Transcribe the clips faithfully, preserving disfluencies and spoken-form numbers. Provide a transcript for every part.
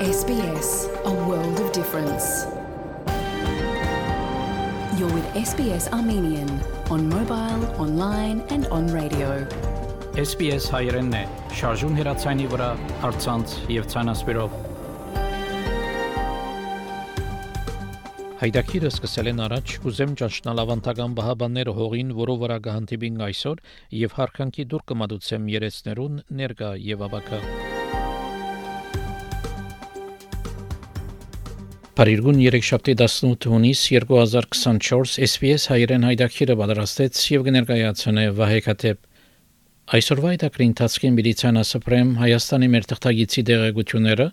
S B S, a world of difference. You're with S B S Armenian on mobile, online and on radio. S B S հայերենն է, շարժուն հեռացայինի վրա, առցանց եւ ցանասպիրով։ Հայդակիրը սկսել են առաջ, կուզեմ ճանչնալ ավանդական բահաբանները հողին, որով վրա կհանդիպին այսօր եւ հարկանքի դուր կմատուցեմ երեցներուն ներկա եւ ավակա։ Փարիգուն երեքշաբթի տասնութ հունիս երկու հազար քսանչորս S B S հայերեն հայդակիրը պատրաստեց եւ կներկայացնե Վահե Քաթեփ։ Այսօրվա հայդակրի ընթացքին միլիցիան ասպրեմ Հայաստանի մեր թղթագիտի դեղեցությունները,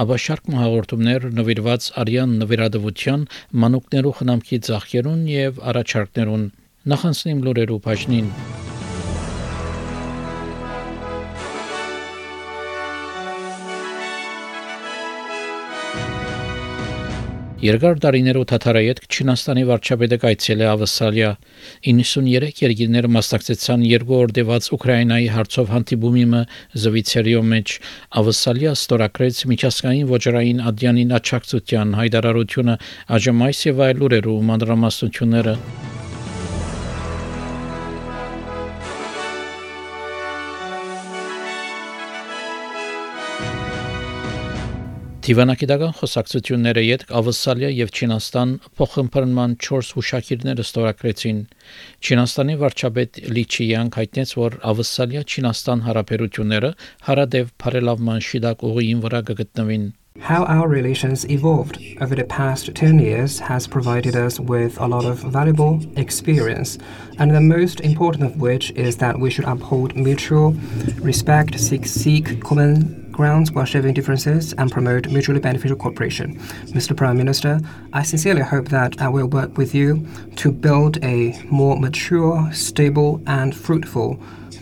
ապա շարք հաղորդումներ նվիրված արյան նվիրատվության, մանուկներու խնամքի ծախքերուն եւ առաջարկներուն։ Նախանցնիմ լուրերու բաժնին։ Երկար տարիներով թաթարայետ Չինաստանի վարչապետը կայցել է Ավստրալիա։ իննսուններեք երկիրներ մասնակցեցան երկու օր տևած Ուկրաինայի հարցով հանդիպումի Զվիցերիո մեջ։ Ավստրալիա ստորագրեց միջազգային ոչռային ադյանին աջակցության հայտարարությունը, այժմ այս եւ այլ լուրերու մանրամասնությունները։ Դիվանագիտական խոսակցությունները յետք Ավստրալիա եւ Չինաստան փոխըմբռնման չորս հուշագիրներ ստորագրեցին։ Չինաստանի վարչապետ Լի Չիյանգ հայտնեց, որ Ավստրալիա-Չինաստան հարաբերությունները հարադեպ բարելավման շիդակ ուղիին վրա կգտնվին։ How our relations evolved over the past ten years has provided us with a lot of valuable experience, and the most important of which is that we should uphold mutual respect, seek, seek common grounds while shaving differences, and promote mutually beneficial cooperation. Mister Prime Minister, I sincerely hope that I will work with you to build a more mature, stable, and fruitful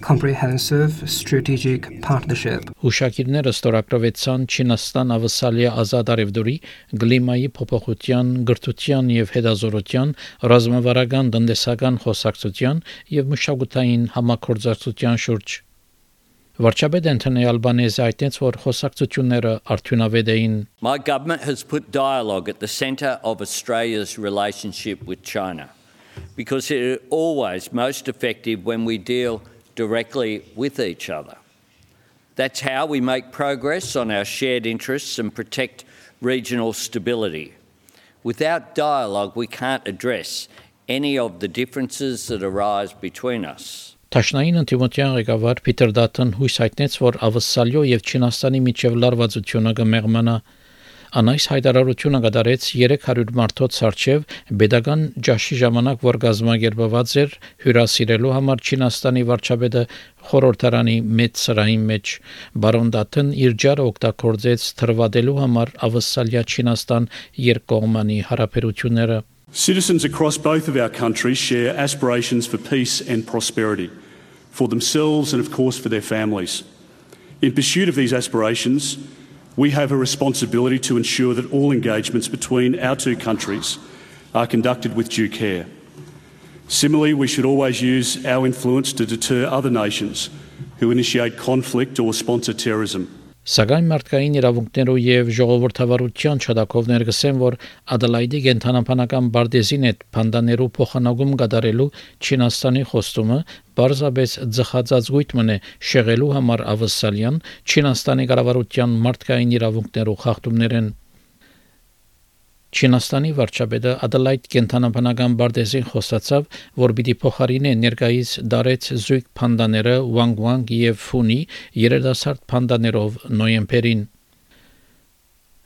comprehensive strategic partnership. Հուշագիրները ստորագրվեցան Չինաստան-Ավստրալիա ազատ արևդուրի, գլիմայի փոփոխության, գրթության եւ հետազոտության, ռազմավարական տնտեսական խոսակցության եւ մշակութային համագործակցության շուրջ։ Վարչապետ Անթոնի Ալբանեզը հայտնեց, որ խոսակցությունները արդյունավետ էին։ My government has put dialogue at the centre of Australia's relationship with China because it is always most effective when we deal directly with each other. That's how we make progress on our shared interests and protect regional stability. Without dialogue, we can't address any of the differences that arise between us. Տաշնային ընտիմության ղեկավար Փիթեր Դաթոն հույս հայտնեց, որ Ավստրալիա եւ Չինաստանի միջև լարվածությունը կմեղմանա։ Անայս հայտարարությունը կատարեց երեք հարյուր մարդոց արչև pedagogan ջաշի ժամանակ, որ գազམ་ագերբված էր հյուրասիրելու համար Չինաստանի վարչապետը խորհրդարանի մեծ սրահի մեջ։ Բարոն Դաթոն իր ջարը օգտագործեց թրվադելու համար Ավստրալիա-Չինաստան երկկողմանի հարաբերությունները։ Citizens across both of our countries share aspirations for peace and prosperity, for themselves and of course for their families. In pursuit of these aspirations, we have a responsibility to ensure that all engagements between our two countries are conducted with due care. Similarly, we should always use our influence to deter other nations who initiate conflict or sponsor terrorism. Սակայն մարդկային իրավունքներով եւ ժողովրդավարության չդակով ներգսեն, որ Ադելայդի կենթանապանական բարձին հետ փանդաներու փոխանակում կատարելու Չինաստանի խոստումը բարձաբես ձխածածգույթ մնե շեղելու համար Ավստրալիան Չինաստանի կառավարության մարդկային իրավունքներով խախտումներեն։ Չինաստանի վարչապետը Ադելայդ կենթանապանական բարձին խոստացավ, որ պիտի փոխարինե ներկայիս դարեց զույգ փանդաները Wang Wang եւ Funi երիտասարդ փանդաներով նոյեմբերին։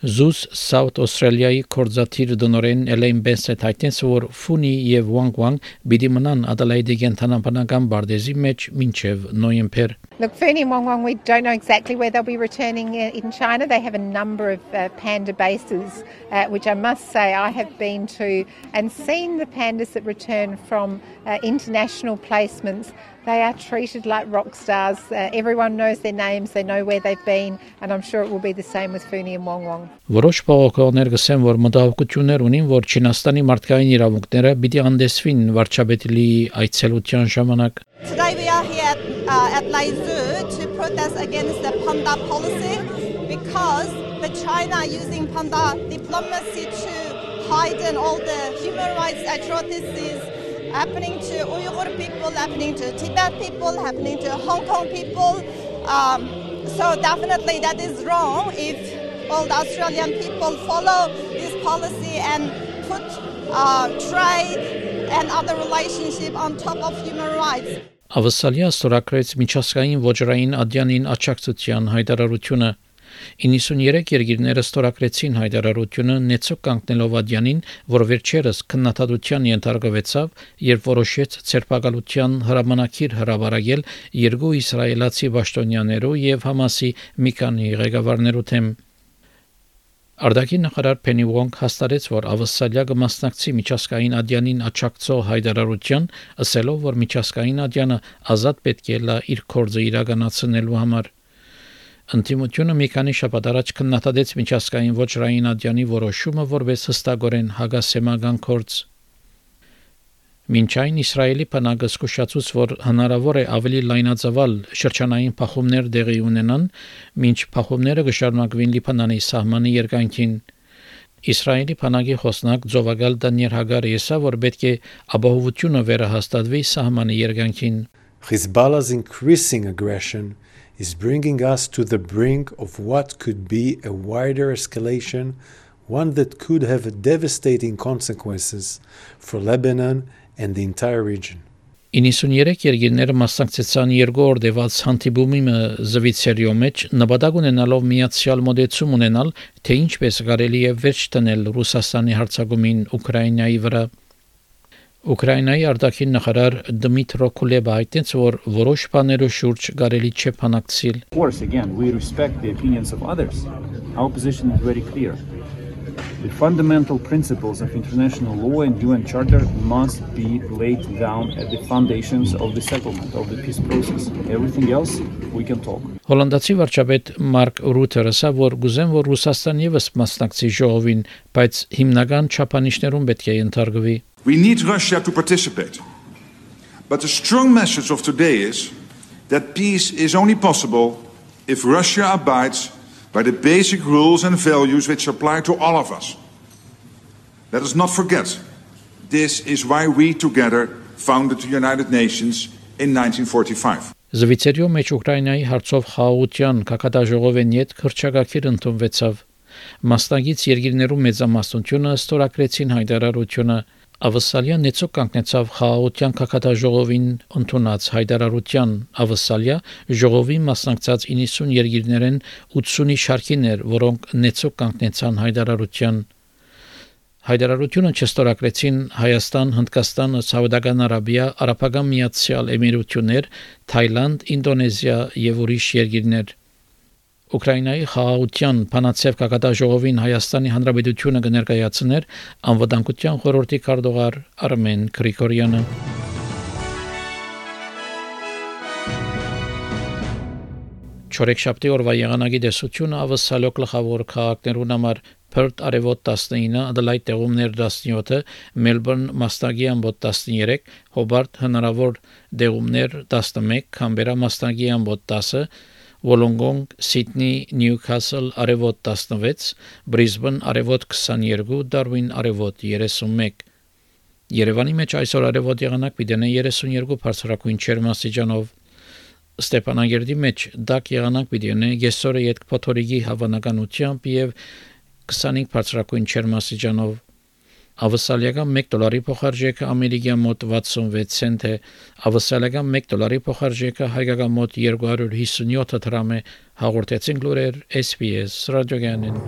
Զուս South Australia-ի կորզաթիր դոնորեն Էլեն Բենսեթ հայտնեց, որ Funi եւ Wang Wang պիտի մնան Ադելայդի կենթանապանական բարձի մեջ մինչեւ նոյեմբեր։ Look, Funi and Wang Wang, we don't know exactly where they'll be returning in China. They have a number of uh, panda bases, uh, which I must say I have been to and seen the pandas that return from uh, international placements. They are treated like rock stars. Uh, everyone knows their names, they know where they've been, and I'm sure it will be the same with Funi and Wang Wang. Որոշ բողոքողներ գսեն, որ մտահոգություններ ունին, որ Չինաստանի մարդկային իրավունքները պիտի անդեսվին վարչապետի այցելության ժամանակ։ Today we are here at, uh, at Lai Zoo to protest against the panda policy because but China using panda diplomacy to hide all the human rights atrocities happening to Uyghur people, happening to Tibet people, happening to Hong Kong people. Um, so definitely that is wrong if all the Australian people follow this policy and put uh, trade and other relationship on top of human rights. Ավսալիա ստորագրեց միջազգային ոչռային ադյանին աջակցության հայտարարությունը։ իննսուններեք երկիրները ստորագրեցին հայտարարությունը նեցուկ կանգնելով ադյանին, որ վերջերս քննադատության ենթարկվեցավ, երբ որոշեց ցերպակալության հրամանակիր հրաբարակել երկու իսրայելացի պաշտոնյաներու եւ Համասի մի քանի ղեկավարներու թեմ։ Արտաքին նախարար Փենի Ուոնգ հաստատեց, որ Ավսալիա կմասնակցի միջազգային ադյանին աջակցող հայտարարության, ասելով, որ միջազգային ադյանը ազատ պետք է լա իր կորձը իրականացնելու համար։ Ընդդիմությունը մի քանի շաբաթ առաջ քննադատեց միջազգային ոչռային ադյանի որոշումը որպես հստակորեն հագասեմական կորձ։ Մինչ այն Իսրայելի բանակը զսկուշացուց, որ հնարավոր է ավելի լայնածավալ շրջանային փախումներ տեղի ունենան, մինչ փախումները կշարունակվին Լիբանանի սահմանի երկայնքին։ Իսրայելի բանակի խոսնակ Ձովագալ Դանիել Հագարը ասա, որ պետք է ապահովությունը վերահաստատվի սահմանի երկայնքին։ Hezbollah's increasing aggression is bringing us to the brink of what could be a wider escalation, one that could have devastating consequences for Lebanon and the entire region. իննսուններեք երկիրները մասնակցեցան երկու օր դեպած հանդիպումի զվիցերիո մեջ նպատակ ունենալով միացյալ մոդեցում ունենալ, թե ինչպես կարելի է վերջ տնել Ռուսաստանի հարձակումին Ուկրաինայի վրա։ Ուկրաինայի արտաքին նախարար Դմիտրո Կուլեբա հայտնեց, որ որոշ բաներու շուրջ կարելի չէ փանակցիլ։ Of course, again, we respect the opinions of others. Our position is very clear. The fundamental principles of international law and U N Charter must be laid down at the foundations of the settlement, of the peace process. Everything else, we can talk. Հոլանդացի վարչապետ Մարկ Ռութերը ասա, որ գուզեն, որ Ռուսաստան եւս մասնակցի ժողովին, բայց հիմնական չափանիշներում պետք է ենթարկվի։ We need Russia to participate. But the strong message of today is that peace is only possible if Russia abides by the basic rules and values which apply to all of us. Let us not forget, this is why we together founded the United Nations in nineteen forty-five. Զվիցերիո մեջ Ուկրաինայի հարցով խաղաղության կակատաժողովեն յետ քրճագակիր ընդունվեցավ։ Մասնագից երկիրներու մեծամասնությունը ստորագրեցին հայտարարությունը։ Ավսալիա նեցուկ կանգնեցավ խաղաղության կակատաժողովին ընդունած հայտարարության։ Ավսալիա ժողովի մասնակցած իննսուն երկիրներեն ութսունի շարքիներ, որոնք նեցուկ կանգնեցան հայտարարության։ Հայտարարությունը չստորագրեցին Հայաստան, Հնդկաստան, Սաուդական Արաբիա, Արաբական Միացյալ Էմիրություններ, Թայլանդ, Ինդոնեզիա եւ ուրիշ երկիրներ։ Ուկրաինայի խաղաղության բանացև կակատաժողովին Հայաստանի Հանրապետությունը կներկայացներ անվտանգության խորհրդի քարտուղար Արմեն Գրիգորյանը։ Չորեքշաբթի օրվա եղանակի տեսությունը ավսալո գլխավոր քաղաքներուն համար Perth արևոտ տասնինը, Adelaide տեղումներ տասնյոթը, Melbourne մասնագի ամբոտ տասներեք, Hobart հնարավոր տեղումներ տասնմեկ, Canberra մասնագի ամբոտ տասը, Wollongong, Sydney, Newcastle արևոտ տասնվեց, Brisbane արևոտ քսաներկու, Darwin արևոտ երեսունմեկ։ Երևանի մեջ այսօր արևոտ եղանակ պիտենե երեսունյոթ բարձրակույն ջերմաստիճանով։ Ստեփանագերդի մեջ դակ եղանակ պիտենե գեսորը յետ փոթորիկի հավանականությամբ եւ քսանհինգ բարձրակույն ջերմաստիճանով։ Ավսալիական մեկ դոլարի փոխարժեքը ամերիկյան մոտ վաթսունվեց سنت է, ավսալիական մեկ դոլարի փոխարժեքը հայկական մոտ երկու հարյուր հիսունյոթ դրամ է, հաղորդեցին լուրեր S B S ռադիոգյանին։